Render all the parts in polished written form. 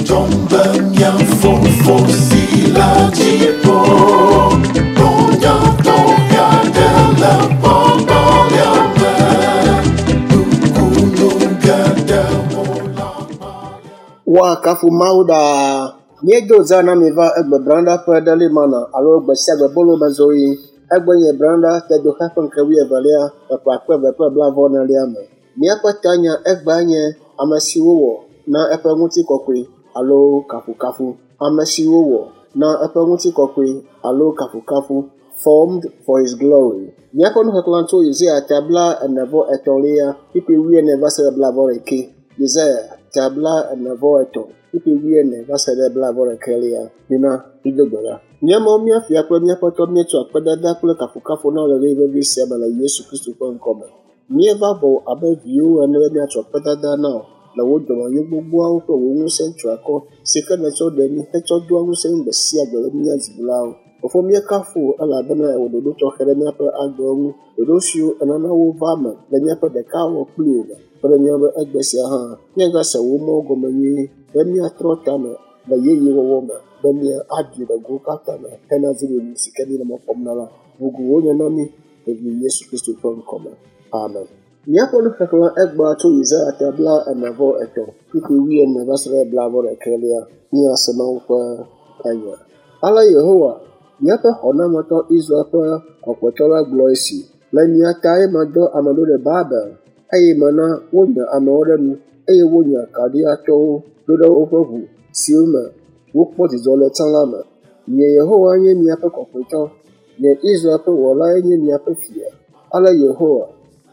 dzɔdzɔm be mía Fofo si le dziƒo nunya tɔxɛ aɖe le gbɔgbɔlia me. Nukunu geɖewo le agbalẽa Woakafu Mawu ɖaa. Míedo zã na mi va egbe branda ƒe Daily Manna alo gbe sia gbe bolo me zoɣi. Egbe nye branda tedoxe ƒe ŋkeke wuievelia le ƒe akpe eve kple blaeve-vɔ-enelia me. Míaƒe tanya egbea nye ame si wowɔ na eƒe ŋutikɔkɔe alo kafukafu. Ame si wowɔ na eƒe ŋutikɔkɔe alo kafukafu formed for his glory. Míaƒe nuxexlẽ tso Yesaya ta 43 kpukpui 40 va se ɖe 41. Yesaya ta 43 kpukpui 40 va se ɖe 41. Mina mído gbe ɖa. Mía Mawu, mía Fia kple mía Aƒetɔ, míetsɔ akpedada kple kafukafu na wò le ɣeyiɣi vevi sia me le Yesu Kristo ƒe ŋkɔme. Míeva gbɔwò abe viwò ene be míatsɔ akpedada na wò le wò dɔmenyo gbogboawo kple wò ŋusẽ triakɔ si ke nètsɔ ɖe mí hetsɔ doa ŋusẽ mí gbe sia gbe be míanye dziɖulawo. Fofo, míekafu wò elabena èwɔ ɖoɖo tɔxɛ ɖe míaƒe agbewo ŋu. Ɖoɖo siwo ènana wova eme le míaƒe ɖekawɔwɔ kpli wò me. Kpe ɖe mía ŋu be egbe sia hã míagase wò mɔwo gɔme nyuie be míatrɔ tame le yeyewɔwɔ me be míaɖi le gowo katã me hena dziɖuɖu si ke míele mɔ kpɔm na la. Ʋugu wònye na mí le vi Yesu Kristo ƒe ŋkɔme. Amen. Míaƒe nuxexlẽ egbea tso Yesaya ta 43 kpukpui 40 va se ɖe 41 míase Mawu ƒe enya. Ale Yehowa, míaƒe xɔnametɔ Israel ƒe kɔkɔetɔ la gblɔ esi: Le mia tae medɔ ame ɖo ɖe Babel, eye mena wonya amewo ɖe nu, eye wonya Kaldeatɔwo ɖo ɖe woƒe ʋu siwo me wokpɔ dzidzɔ le tsã la me. Nye Yehowa nye miaƒe kɔkɔetɔ, nye Israel ƒe wɔlae nye miaƒe fia. Ale Yehowa,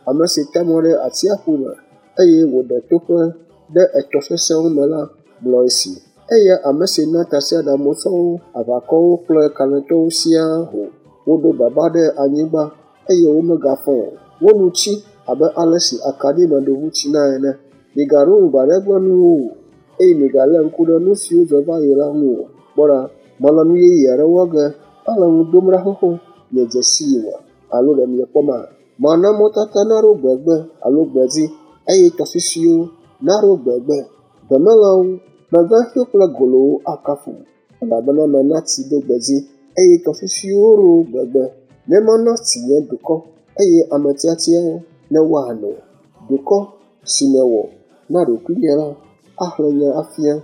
ame si ta mɔ ɖe atsiaƒu me, eye wòɖe toƒe ɖe etɔ sesẽwo me la, gblɔ esi: Eya ame si na tasiaɖamsɔwo, aʋakɔwo kple kalẽtɔwo siaa ho, woɖo baba ɖe anyigba eye womegafɔ o. Wo nu tsi abe ale si akaɖi me ɖovu tsina ene. Migaɖo ŋu gbe aɖe gbe nuwo o, eye migalé ŋku ɖe nu siwo dzɔ va yi la ŋu o. Kpɔ ɖa, mele nu yeye aɖe wɔ ge, ele nu dom ɖa xoxo, miedze sii oa? Alo ɖe miekpɔma? Mana mɔtata naɖo gbegbe alo gbedzi, eye tɔsisiwo naɖo gbegbe. Gbemelãwo, megãxiwo kple golowo akafu, elabena mena tsi ɖo gbedzi, eye tɔsisiwo ɖo gbegbe. Ne mana tsi nye dukɔ, eye ame tiatiawo ne woano. Dukɔ si mewɔ na ɖokuinye la axlẽ nye afia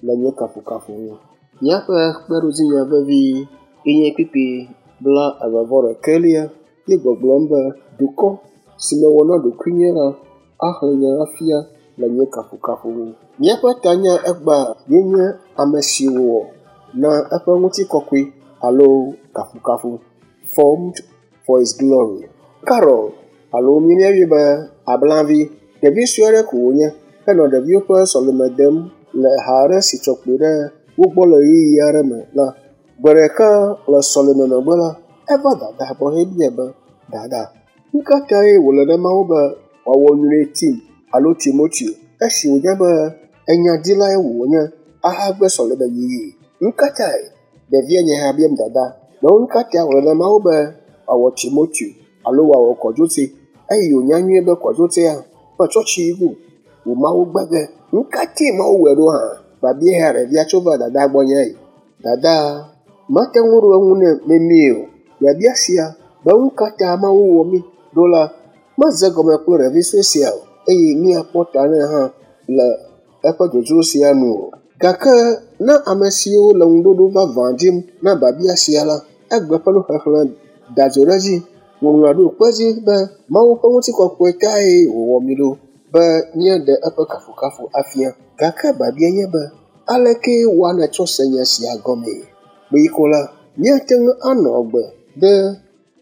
le nye kafukafu ŋu. Míaƒe kpeɖodzinya vevi ye nye kpukpui 21 ye gbɔgblɔm be dukɔ si mewɔ na ɖokuinye la axlẽ nye afia le nye kafukafu ŋu. Míaƒe tanya egbea ye nye ame si wowɔ na eƒe ŋutikɔkɔe alo kafukafu, formed for his glory. Carol alo míeyɔe be Ablavi, ɖevi sue aɖe ko wònye henɔ ɖeviwo ƒe sɔleme dem le ha aɖe si tsɔ kpoe ɖe wo gbɔ le ɣeyiɣi aɖe me la. Gbe ɖeka le sɔleme megbe la, eva dada gbɔ hebia be, Dada, nu ka tae wòle na Mawu be wòawɔ nyuie Tim alo Timoteo esi wònya be enyadilae wònye ahagbe sɔleme yiyi? Nu ka tae? Ɖevia nye hã biam dada be nu ka tae wòle na Mawu be wòawɔ Timoteo alo wòawɔ Kɔdzotse eye wònya nyuie be Kɔdzotsea ƒe tsɔtsi yi go wò Mawu gbe ge. Nu ka tae Mawu wɔe ɖo hã? Babia hã ɖevia tso va dada gbɔ nye yi. Dada mate ŋu ɖo eŋu nɛ memie o. Biabia sia be nu ka ta Mawu wɔ mí ɖo la medze gɔme kple ɖevi sue sia o eye míakpɔ ta nɛ hã le eƒe dzodzro sia nu o. Gake na ame siwo le ŋuɖoɖo vavã dim na biabia sia la, egbe ƒe nuxexlẽ da dzo ɖe edzi. Ŋɔŋlɔa ɖo kpe edzi be Mawu ƒe ŋutikɔkɔe tae wòwɔ mí ɖo be míaɖe eƒe kafukafu afia. Gake biabia nye be, aleke woanetsɔ se nya sia gɔmee? Kpuie ko la, míate ŋu anɔ agbe ɖe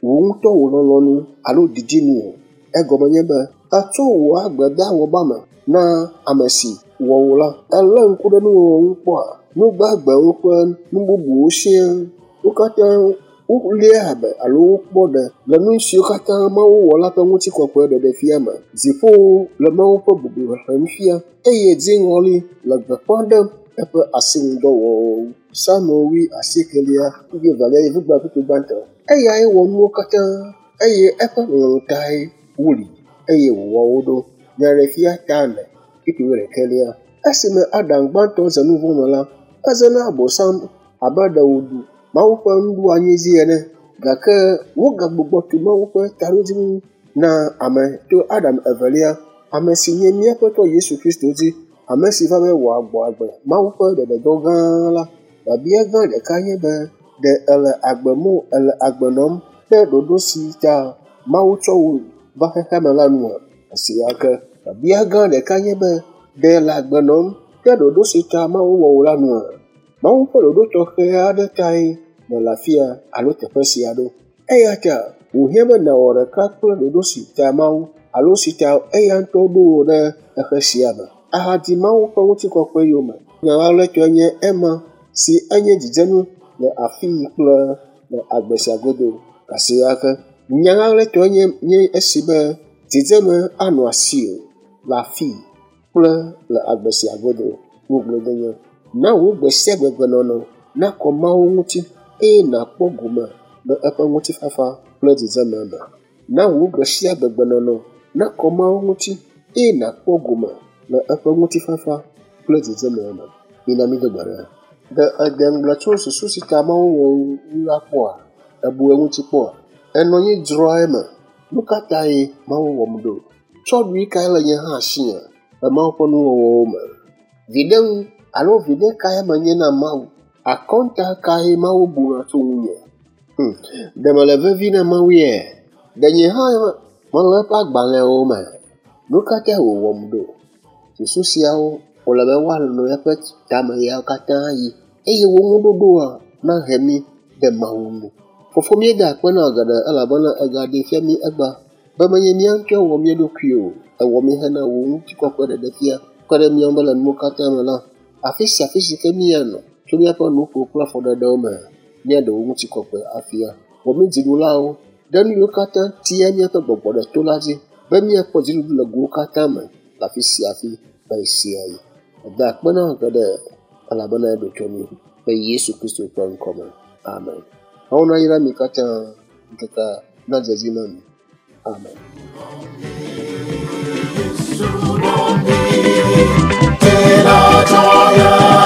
wò ŋutɔ wò lɔlɔ̃nu alo didi nu o. Egɔme nye be ètsɔ wò agbe de awɔba me na ame si wɔ wò la. Èlé ŋku ɖe nuwɔwɔ ŋu kpɔa? Nu gbagbewo kple nu bubuwo siaa, wo katã woléa abe alo wokpɔ ɖe le nu siwo katã Mawu wɔ la ƒe ŋutikɔkɔe ɖeɖefia me. Dziƒowo le Mawu ƒe bubu xexlẽm fia eye dziŋɔli le gbeƒã ɖem eƒe asinudɔwɔwɔwo. Psalmo 89 yevugba kpukpui gbãtɔ. Eyae wɔ nuwo katã eye eƒe lɔlɔ̃nu tae woli eye wòwɔ wo ɖo. Nyaɖeɖefia ta 4 kpukpui 11. Esime Adam gbãtɔ ze nu vɔ̃ me la, eze na Abosam abe ɖe wòɖu Mawu ƒe nuɖoanyi dzi ene. Gake wogagbugbɔ tu Mawu ƒe taɖodzinu na ame to Adam evelia, ame si nye mía Aƒetɔ Yesu Kristo dzi, ame si va be wòagbɔ agbe Mawu ƒe ɖeɖedɔ gã la. Biabia gã ɖeka nye be, ɖe èle agbe mo èle agbe nɔm ɖe ɖoɖo si ta Mawu tsɔ wò va xexea me la nua? Esia ke. Biabia gã ɖeka nye be, ɖe èle agbe nɔm ɖe ɖoɖo si ta Mawu wɔ wò la nua? Mawu ƒe ɖoɖo tɔxɛ aɖe tae nèle afia alo teƒe sia ɖo. Eya ta wòhiã be nàwɔ ɖeka kple ɖoɖo si ta Mawu alo si ta eya ŋutɔ ɖo wò ɖe xexe sia me ahadi Mawu ƒe ŋutikɔkɔe yome. Nya ɣaɣlɛtɔe nye ema si enye dzidzenu le afii kple le agbe sia godo. Kasia ke nya ɣaɣlɛtɔe nye nye esi be dzidzeme anɔ asiwò le afii kple le agbe sia godo. Ŋugbledenye. Na wò gbe sia gbe gbenɔnɔ nakɔ Mawu ŋuti eye nàkpɔ gome le eƒe ŋutifafa kple dzidzeme me. Na wò gbe sia gbe gbenɔnɔ nakɔ Mawu ŋuti eye nàkpɔ gome le eƒe ŋutifafa kple dzidzeme me. Mina mído gbe ɖa. Ɖe ède ŋugble tso susu si ta Mawu wɔ wò ŋu la kpɔa? Èbu eŋuti kpɔa? Ènɔ anyi dzroa eme. Nu ka tae Mawu wɔm ɖo? Tsɔɖui kae le nye hã asinye le Mawu ƒe nuwɔwɔwo me? Viɖe ŋu alo viɖe kae menye na Mawu? Akɔnta kae Mawu buna tso ŋunye? Ɖe mele vevi na Mawu ye? Ɖe nye hã mele eƒe agbalẽwo me? Nu ka tae wòwɔm ɖo? Susu siawo wòle be woanɔ eƒe tame yawo katã yi eye wo ŋuɖoɖoa nahe mí ɖe Mawu ŋu. Fofo míeda akpe na wò geɖe elabena ègaɖee fia mí egbea be menye mía ŋutɔe wɔ mía ɖokui o. Èwɔ mí hena wò ŋutikɔkɔe ɖeɖe fia kpe ɖe mía ŋu be le nuwo katã me la, afi sia afi si ke míanɔ tso míaƒe nuƒo kple afɔɖeɖewo me, míaɖe wò ŋutikɔkɔe afia. Wɔ mí dziɖulawo ɖe nu yiwo katã tia míaƒe gbɔgbɔ ɖe to la dzi be míakpɔ dziɖuɖu le gowo katã me le afi sia afi le ɣe sia ɣi. Meda akpe na wò geɖe elabena eɖo to mí le Yesu Kristo ƒe ŋkɔ me. Amen. Mawu nayra mi katã ŋkekea nadze edzi na mi. Amen. Yesu